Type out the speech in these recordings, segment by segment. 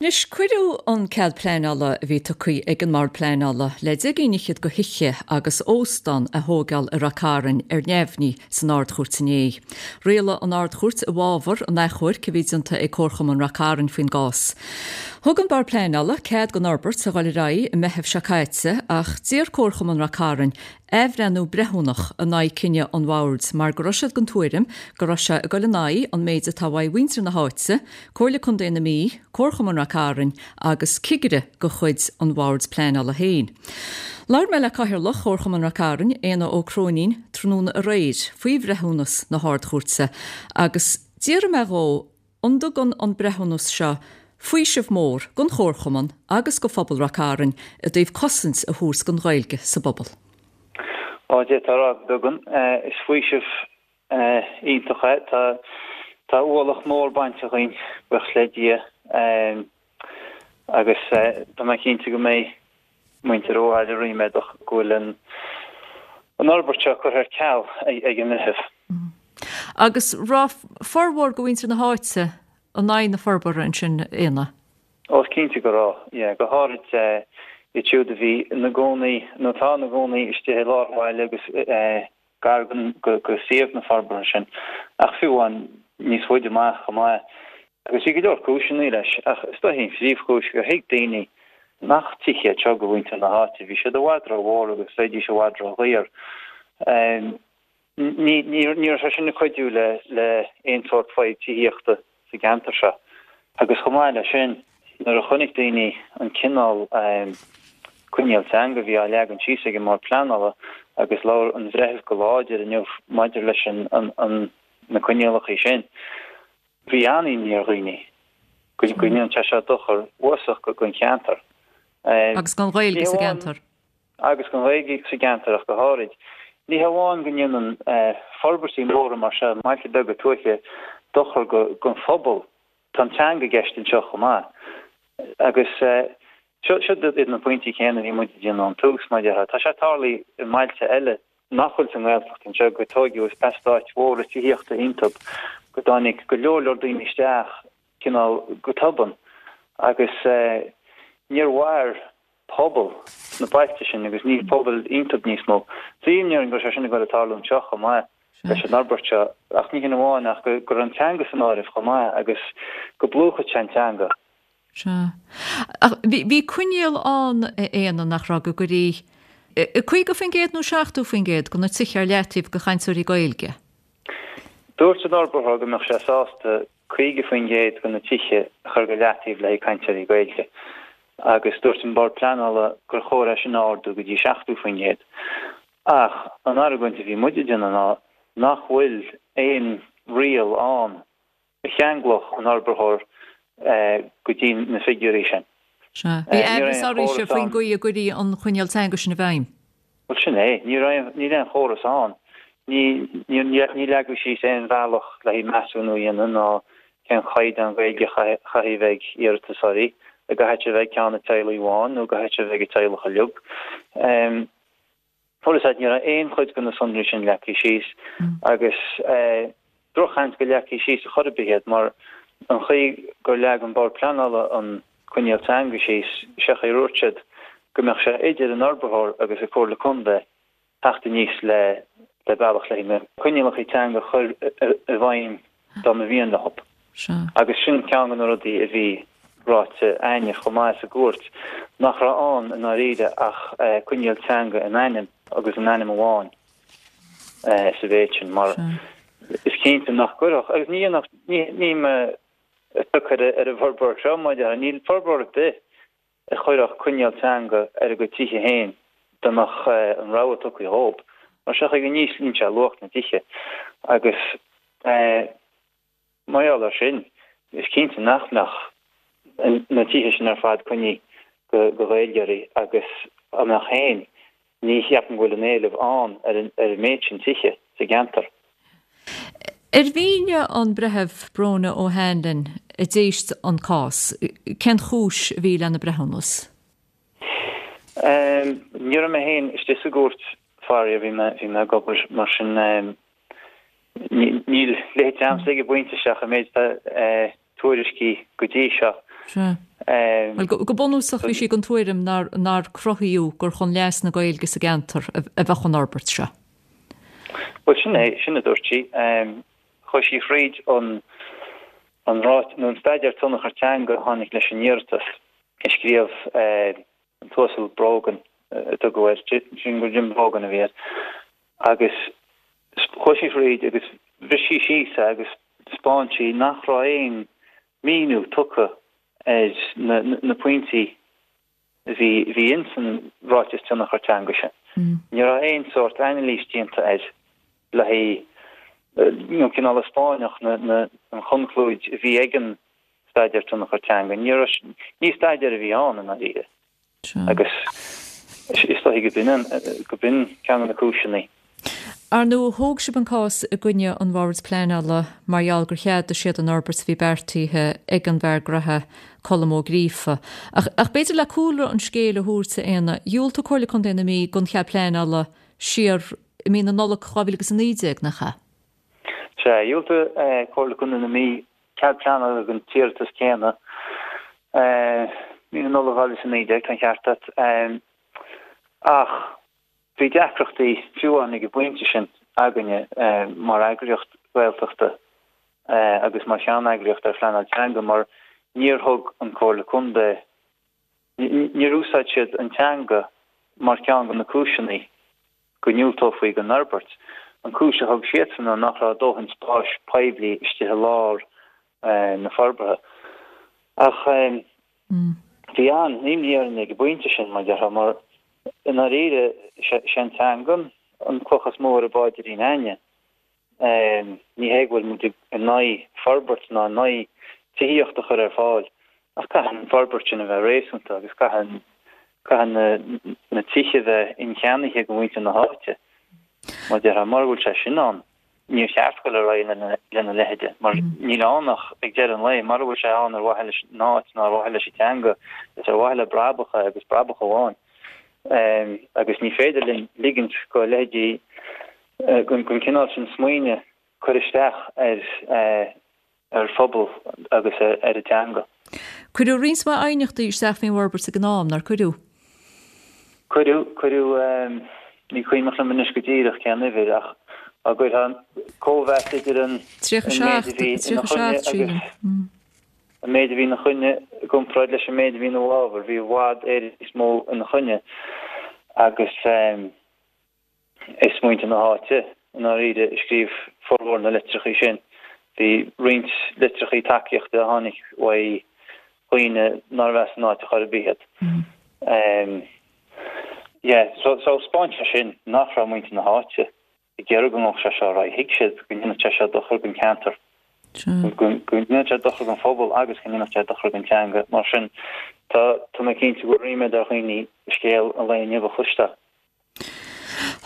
Anois, cuireadh an cead pleanála a bhí tugtha ag an mBord Pleanála le deich gcinn fhichead de thithe agus óstán a thóigeáil i Rath Cairn ar neamhní san Ard-Chúirt inné. Rialaigh an Ard-Chúirt i bhfabhar an achomhairc a bhí déanta ag Comharchumann Rath Cairn faoin gcás. Thug an Bord Pleanála cead don fhorbairt a dhul ar aghaidh i Meitheamh seo caite ach d'iarr Comharchumann Rath Cairn athbhreithniú breithiúnach in aghaidh cinneadh an Bhoird mar go raibh siad den tuairim go raibh sé ag dul in aghaidh an méid atá uaidh mhuintir na háite, Comhairle Contae na Mí, Comharchumann Rath Cairn agus cigire de chuid an Bhoird Pleanála féin. Labhair mé le Cathaoirleach Chomharchumann Rath Cairn, Éanna Ó Cróinín, tráthnóna aréir faoi bhreithiúnas na hArd-Chúirte agus d'fhiafraigh mé dhó An dtugann an breithiúnas seo faoiseamh mór don Chomharchumann agus do phobal Rath Cairn i dtaobh cosaint a thabhairt don Ghaeilge sa bpobal? Á, d'fhéadfá a rá go dtugann. Is faoiseamh iontach é. Tá tá ualach mór bainte dhínn, buíochas le Dia, agus tá mé cinnte go mbeidh muintir an bhaile ríméadach go bhfuil an fhorbairt seo curtha ar ceal ag an mbreitheamh. Agus raibh formhór de mhuintir na háite in aghaidh na forbartha ansin, Éanna? Ó, is cinnte go raibh, yeah. Go háirid iad siúd a bhí ina gcónaí, nó atá ina gcónaí istigh i lár an bhaile agus gar go suíomh na forbartha sin, ach fiú amháin níos faide amach chomh maith. Agus bhí go leor cúiseanna leis, ach is dóichí an phríomhchúis gur thuig daoine nach tithe iad seo do mhuintir na háite, bhí siad i bhfad rómhór agus bheidís i bhfad ródhaor. Ní raibh sé sin ag cuidiú le aon sórt fadhb tithíochta sa gceantar seo. Agus chomh maith leis sin, nuair a chonaic daoine an cineál coinníoll teanga a bhí á leagan síos ag an mBord Pleanála, agus labhair an bhreitheamh go láidir inniu maidir leis na coinníollacha sin, bhí an-imní ar dhaoine go ndéanfadh sé seo dochar uafásach don cheantar. Agus don Ghaeilge sa gceantar. agus don Ghaeilge sa gceantar ach go háirid. Ní hamháin go ndéanann forbairtí móra mar seo i mbailte beaga tuaithe dochar don phobal, tá an teanga i gceist anseo chomh maith. Agus seo iad na pointí céanna a bhí muid ag déanamh ón tús, mar a déarfá. Tá sé tarlaithe i mbailte eile nach bhfuil sa nGaeltacht anseo, gur tóigeadh eastáit mhóra tithíochta iontub, go dtáinig go leor leor daoine isteach cineál go tobann agus níor mhair pobal sna bailte sin agus níl pobal iontub níos mó. Bhí imní orainn go raibh sé sin ag dul ag tarlú anseo chomh maith leis an fhorbairt seo ach ní hin amháin ach go raibh an teanga san áireamh chomh maith agus go bplúchfadh sé an teanga. Sea. Ach bhí coinníoll ann, a Éanna, nach raibh, go gcuirí 50% nó 70% de na tithe ar leataobh do chainteoirí Gaeilge? Dúirt an fhorbróir go mbeadh sé sásta 50% de na tithe a chur go leataobh le haghaidh cainteoirí Gaeilge agus dúirt an Bord Pleanála gur chóir é sin a ardú go dtí 70%. Ach an argóint a bhí muid ag déanamh ná nach bhfuil aon riail ann a cheanglódh an fhorbróir go dtí na figiúirí sin. Sea. Bhí aimhreas oraibhse faoin gcaoi a gcuirí an coinníoll teanga sin i bhfeidhm. Bhuel, sin é. Ní raibh, níl aon chóras ann. Ní, ní, ní leagadh síos aon bhealach le haghaidh measúnú a dhéanamh ná cén chaighdeán Gaeilge a chaithfidh a bheith ag iarratasóirí, an gcaithfidh sé a bheith ag ceann an teaghlaigh amháin nó an gcaithfidh sé a bheith ag an teaghlach uilig. Bhuel, is ea, ní raibh aon chuid de na sonraí sin leagtha síos agus drochsheans go leagfaí síos ar chor ar bith iad mar an chaoi gur leag an Bord Pleanála an coinníoll teanga síos, sé an chaoi a ndúirt siad go mbeadh sé idir an fhorbróir agus an Comhairle Contae teacht aníos le bealach le na coinníollacha teanga a chur i bhfeidhm dá mba mhian leo. Agus sin ceann de na rudaí a bhí ráite a'inne chomh maith sa gcúirt, nach raibh ann i ndáiríre ach coinníoll teanga in ainm agus in ainm amháin sa mhéid sin, mar is cinnte nach gcuirfeadh, agus ní dhéanfadh, ní mé ag cur ar an bhforbróir seo, mar a déarfá, níl forbróir ar bith a chuirfeadh coinníoll teanga ar a gcuid tithe féin dá mbeadh an rogha tugtha dhóibh, mar sé an chaoi go n-íslíonn sé luach na dtithe agus mar gheall air sin is cinnte nach mbeadh na tithe sin ar fad coinnithe do Ghaeilgeoirí agus dá mbeadh féin ní cheapaim go bhfuil an éileamh ann ar an méid sin tithe sa gceantar. Ar mhínigh an Breitheamh Bróna O'Hanlon a d'éist an cás cén chúis a bhí lena breithiúnas? Ní raibh mé féin istigh sa gcúirt faraor, bhí mé bhí mé ag obair mar sin níl leithéid a'msa ag an bpointe seo ach an méid tuairiscí go dtí seo. Sea. Bhuel, go bunúsach bhí sí den tuairim nár, nár cruthaíodh gur chun leas na Gaeilge sa gceantar a bheadh an fhorbairt seo. Bhuel, sin é, sin a dúirt sí. Chuaigh sí thríd an, an ráit, nó an staidéar tionchar teanga a tháinig leis an iarratas a scríobh an tUasal Brogan a tugadh air, sin gur Jim Brogan a bhí air, agus chuaigh sí thríd agus bhris sí síos é agus thaispeáin sí nach raibh aon míniú tugtha ar na pointí a bhí bhí ins an ráiteas tionchar teanga sin. Ní raibh aon sórt anailís déanta air le haghaidh nó cineál a spáinfeadh na na an chonclúid a bhí ag an staidéar tionchar teanga. Ní raibh ní staidéar a bhí ann i ndáiríre. Agus is dóigh go b'in go b'in ceann de na cúiseanna. Ar ndóigh, thóg sibh an cás i gcoinne an Bhoird Pleanála mar gheall gur cheadaigh siad an fhorbairt a bhí beartaithe ag an bhfear graithe Colm Ó Gríofa. Ach, ach b'fhéidir le cúlra an scéil a thabhairt, a Éanna, dhiúltaigh Comhairle Contae na Mí don chead pleanála siar i mí na Nollag 2019, nach ea? Sea, dhiúltaigh Comhairle Contae na Mí cead pleanála don t-iarratas céanna mí na Nollag 2019, tá an ceart agat. Ach bhí deacrachtaí fiú amháin ag an bpointe sin againne mar eagraíocht Ghaeltachta agus mar cheanneagraíocht ar phleanáil teanga mar níor thug an Comhairle Contae, níor úsáid siad an teanga mar cheann de na cúiseanna go ndiúltófaí don fhorbairt. An cúis a thug siadsan ná nach raibh dóthain spáis poiblí istigh i lár na forbartha. Ach bhí an-imní orainn ag an bpointe sin, mar déarfá, mar i ndáiríre, sé an teanga an cloch is mó ar an bpáidrín againne. Ní hé go bhfuil muid in aghaidh forbairt ná in aghaidh tithíocht a chur ar fáil ach caithfidh an forbairt sin a bheith réasúnta agus caithfidh caithfidh na tithe a bheith incheannaithe ag muintir na háite. Mar déarfá, mura bhfuil sé sin ann, níor cheart dul ar aghaidh lena leithide mar níl ann ach ag deireadh an lae, mura bhfuil sé ann ar mhaithe leis an áit ná ar mhaithe leis an teanga, is ar mhaithe le brabach é agus brabach amháin. Agus ní féidir linn ligint go leithéidí den chineál sin smaoine cur isteach ar ar phobal agus ar an teanga. Cuireadh roinnt mhaith aighneachtaí isteach faoin bhforbairt ag an am, nár cuireadh? Cuireadh, cuireadh, ní cuimhneach liom anois go díreach cén uimhir ach dá gcuirfeá cóimheas idir an méid a bhí ina choinne agus an méid a bhí ina choinne i gcomparáid leis an méid a bhí ina bhfabhar, bhí i bhfad Éireann níos mó ina choinne agus. Is muintir na háite, i ndáiríre, a scríobh formhór na litreacha sin. Bhí roinnt litreacha tacaíochta a tháinig uaidh dhaoine nárbh as an áit ar chor ar bith iad. Yeah, so so 'spáin sé sin nach raibh muintir na háite ag iarraidh go ngabhadh sé seo ar aghaidh. Thuig siad go ndéanfadh sé seo dochar don cheantar, go ndéanfadh sé dochar don phobal agus go ndéanfadh sé dochar don teanga. Mar sin, tá tá mé cinnte go bhfuil ríméad ar dhaoine scéal an lae inniu a chloisteáil.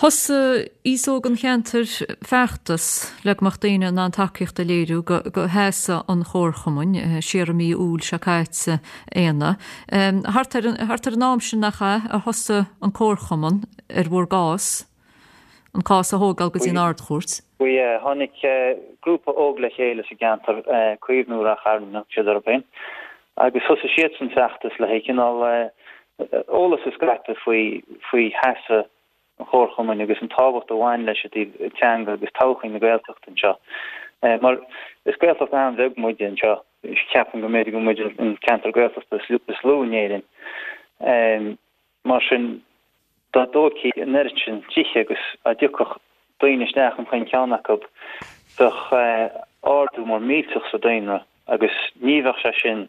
Thosaigh aos óg an cheantair feachtas le go mbeadh daoine in ann tacaíocht a léiriú do sheasamh an Chomharchumainn siar i mí Iúil seo caite, Éanna. Thart ar thart ar an am sin nach ea a thosaigh an Comharchumann ar bhur gcás, an cás a thógáil go dtí an Ard-Chúirt? Bhuel yeah, tháinig grúpa óg le chéile sa gceantar, Caomhnú Ráth Chairn a thug siad orthu féin, agus thosaigh siadsan feachtas le haghaidh cineál eolas a scaipeadh faoi faoi sheasamh an Chomharchumainn agus an tábhacht a bhain leis i dtaobh teanga agus todhchaí na Gaeltachta anseo. Mar is Gaeltacht an-bheag muide anseo, ceapaim go mb'fhéidir go bhfuil muid an ceantar Gaeltachta is lú in Éirinn. Mar sin, dá dtógfaí an oiread sin tithe agus dá dtiocfadh daoine isteach in chaon cheann acu, bheadh ardú mór millteach sa daonra agus ní bheadh sé sin,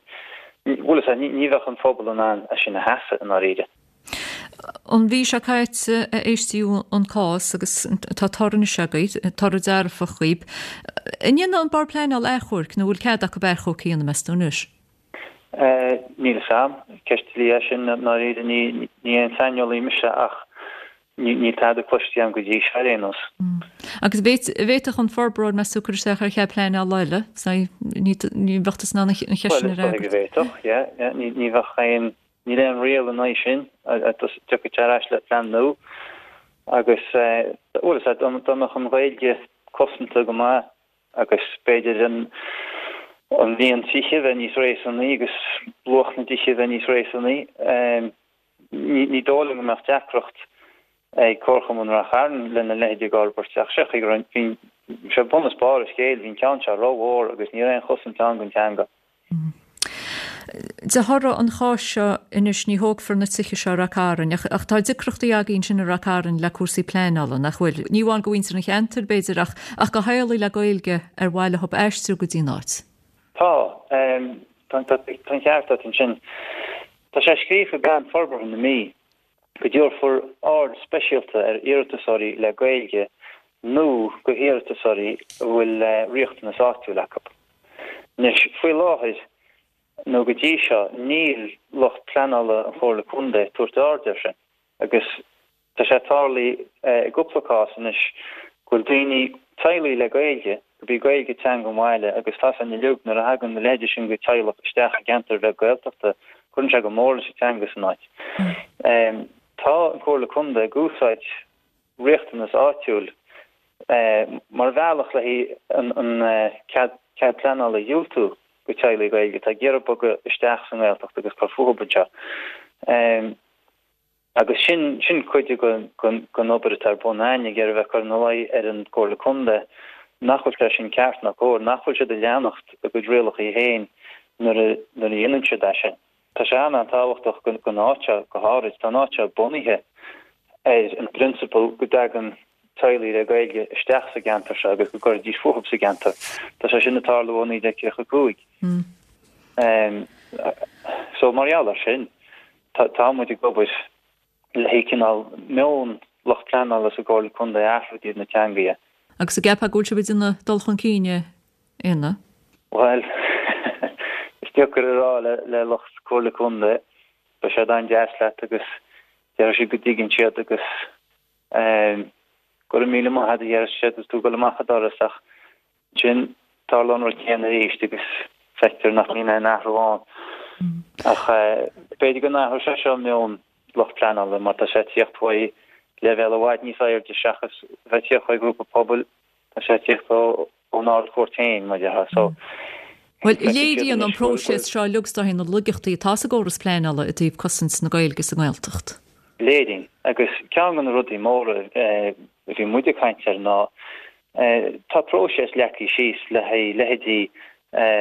bhuel is ea, ní bheadh an phobal in ann é sin a sheasamh i ndáiríre. An mhí seo caite a éistíodh an cás agus tá toradh anois agaibh, toradh dearfach dhaoib. An ndéanfaidh an Bord Pleanála achomharc nó an bhfuil cead acu achomharc a dhéanamh meas tú anois? Níl a fhios a'm. Ceist dlí é sin i ndáiríre. Ní aon saineolaí mise ach níl tada cloiste agam go dtí seo ar aon nós. Agus an bhféadfadh an forbróir meas tú cur isteach ar chead pleanála eile? Ní bheadh tusa in ann an cheist sin a fhreagairt. Bhuel, is dóigh go bhféadfadh, yeah. Ní bheadh aon, níl aon riail in aghaidh sin. Tiocfaidh sé ar ais le plean nua agus, bhuel, is ea, dá mbeadh an Ghaeilge cosanta go maith agus b'fhéidir an. An líon tithe a bheith níos réasúnaí agus luach na dtithe a bheith níos réasúnaí. Ní dóigh liom go mbeadh deacracht ag Comharchumann Rath Chairn lena leithéid de fhorbairt ach sé chaoi go raibh, bhí sé bun is barr an scéil, bhí an ceann seo rómhór agus ní raibh aon chosaint ann don teanga. De thoradh an cháis seo anois ní thógfar na tithe seo i Rath Cairn ach ach tá deacrachtaí agaibh ansin i Rath Cairn le cúrsaí pleanála, nach bhfuil? Ní amháin do mhuintir an cheantair, b'fhéidir, ach ach do theaghlaigh le Gaeilge ar mhaith leo aistriú go dtí an áit. Tá. Tá an ceart agat ansin. Tá sé scríofa i bPlean Forbartha na Mí go dtabharfar aird speisialta ar iarratasóirí le Gaeilge nó go hiarratasóirí a bhfuil riachtanas áitiúil acu. Anois, faoi láthair, nó go dtí seo, níl lucht pleanála an Chomhairle Contae ag tabhairt aird air sin agus tá sé tarlaithe i gcúpla cás anois go bhfuil daoine, teaghlaigh le Gaeilge, gurb í Gaeilge teanga an bhaile agus tá a fhios againn uilig nuair a thagann a leithéide sin de teaghlach isteach i gceantar bheag Gaeltachta, cuireann sé go mór leis an teanga san áit. Tá an Comhairle Contae ag úsáid riachtanas áitiúil mar bhealach le an cead pleanála a dhiúltú go teaghlaigh Gaeilge atá ag iarraidh bogadh isteach sa nGaeltacht agus cur fúthu anseo. Agus sin, sin cuid den obair atá ar bun againn, ag iarraidh a bheith ag cur ina luí ar an gComhairle Contae nach bhfuil sé sin ceart ná cóir, nach bhfuil siad ag leanacht a gcuid rialacha féin nuair a, nuair a dhéanann siad é sin. Tá sé an-an-tábhachtach don áit seo go háirid. Tá an áit seo bunaithe ar an bprionsabal go dtagann teaghlaigh le Gaeilge isteach sa gceantar seo agus go gcuirfidís fúthu sa gceantar. Tá sé sin ag tarlú ó 1935. So mar gheall air sin, tá muid ag obair le cineál meon lucht pleanála sa gComhairle Contae a athrú i dtaobh na teanga dhe. Agus an gceapfá go bhfuil sibh ag déanamh dul chun cinn, a Éanna? Bhuel, is deacair a rá le lucht Comhairle Contae. Beidh siad an-deas leat agus déarfaidh siad go dtuigeann siad agus go raibh míle maith agat a déarfas siad agus tú ag dul amach an doras ach Ansin, tarlaíonn an rud céanna arís agus feictear nach mbíonn aon athrú ann. Ach b'fhéidir go n-athróidh sé seo meon lucht pleanála mar tá sé ag tíocht uaidh leibhéal i bhfad níos airde seachas bheith ag tíocht ó ghrúpa pobail, tá sé ag tíocht ón Ard-Chúirt féin, mar a déarfá. So, Bhuel, léiríonn an próiseas seo uilig is dóichí na laigeachtaí atá sa gcóras pleanála i dtaobh cosaint na Gaeilge sa nGaeltacht. Léiríonn. Agus ceann de na rudaí móra a bhí muid ag caint air ná Tá próiseas leagtha síos le haghaidh leithéidí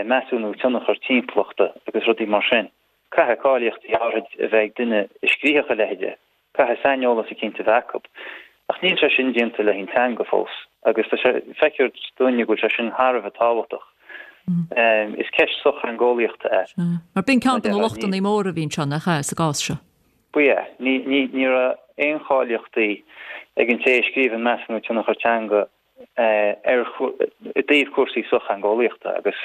measúnú tionchar timpeallachta agus rudaí mar sin. Caithfidh cáilíochtaí áirid a bheith ag duine a scríobhadh a leithéide, caithfidh saineolas eicínt a bheith acu. Ach níl sé sin déanta le haghaidh an teanga fós agus tá sé, feictear dúinne go bhfuil sé sin thar a bheith tábhachtach. Is ceist sochtheangeolaíochta é. Mar b'in ceann de na lochtanna móra a bhí anseo, nach ea, sa gcás seo? Ba ea. Ní raibh aon cháilíochtaí ag an té a scríobh an Measúnú Tionchair Teanga ar i dtaobh cúrsaí sochtheangeolaíochta agus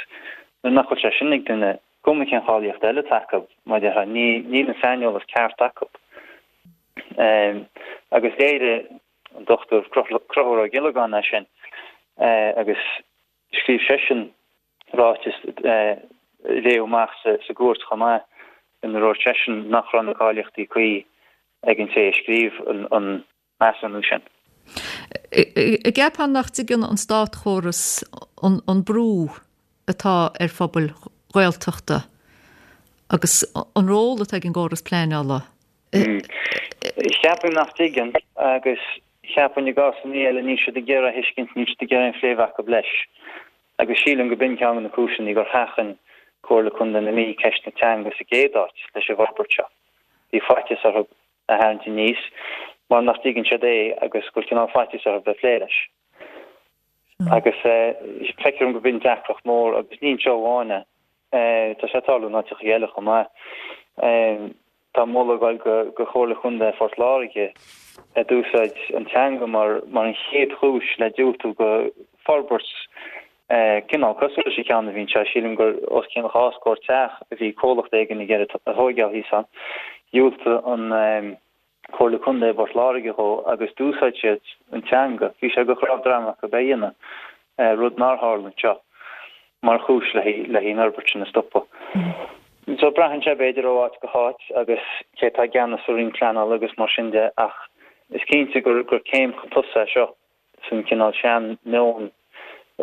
nuair nach bhfuil sé sin ag duine, cuma cén cháilíocht eile atá acu, mar a déarfá, níl an saineolas ceart acu. Agus léirigh an Dr Conchúr Ó Giollagáin é sin agus scríobh seisean ráiteas a léadh amach sa gcúirt chomh maith ina ndúirt seisean nach raibh na cáilíochtaí cuí ag an té a scríobh an measúnú sin. An gceapfá nach dtuigeann an státchóras an brú atá ar phobail Ghaeltachta agus an ról atá ag an gcóras pleanála Cheapfainn nach dtuigeann agus cheapfainn i gcásanna eile níl siad ag iarraidh a thuiscint, níl siad ag iarraidh aon phlé a bheith acu leis. Agus sílim go b'in ceann de na cúiseanna gur sheachain Comhairle Contae na Mí ceist na teanga sa gcéad áit leis an bhforbairt seo. Bhí faitíos orthu é a tharraingt aníos mar nach dtuigeann siad é agus go bhfuil cineál faitíos orthu bheith ag plé leis. Agus feictear dom go b'in deacracht mór agus ní anseo amháin é. Tá sé ag tarlú in áiteacha eile chomh maith. Tá moladh ag dul go Chomhairle Chontae Phort Láirge a d'úsáid an teanga mar an chéad chúis le diúltú go forbairt cineál cosúil leis an cheann a bhí anseo. Sílim gur os cionn 2 scór teach a bhí comhlacht éigin ag iarraidh a thóigeáil thíos ann. Dhiúltaigh an Comhairle Contae i bPort Láirge dhó agus d'úsáid siad an teanga, bhí sé de chnámh droma acu é a dhéanamh, rud nár tharla anseo, mar chúis le an fhorbairt sin a stopadh. So braitheann sé b'fhéidir ó áit go háit agus cé atá i gceannas sa Roinn Pleanála agus mar sin de ach is cinnte gur céim chun tosaigh é seo san cineál sean-mheon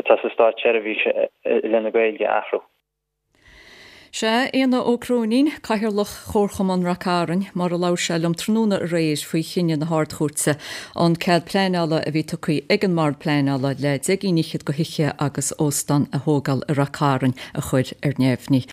atá sa státseirbhís i leith na Gaeilge a athrú. Sea, Éanna Ó Cróinín, Cathaoirleach Chomharchumann Rath Cairn, mar a labhair sé liom tráthnóna aréir faoi chinneadh na hArd-Chúirte an cead pleanála a bhí tugtha ag an mBord Pleanála le deich gcinn fhichead de thithe agus óstán a thógáil i Rath Cairn a chur ar neamhní.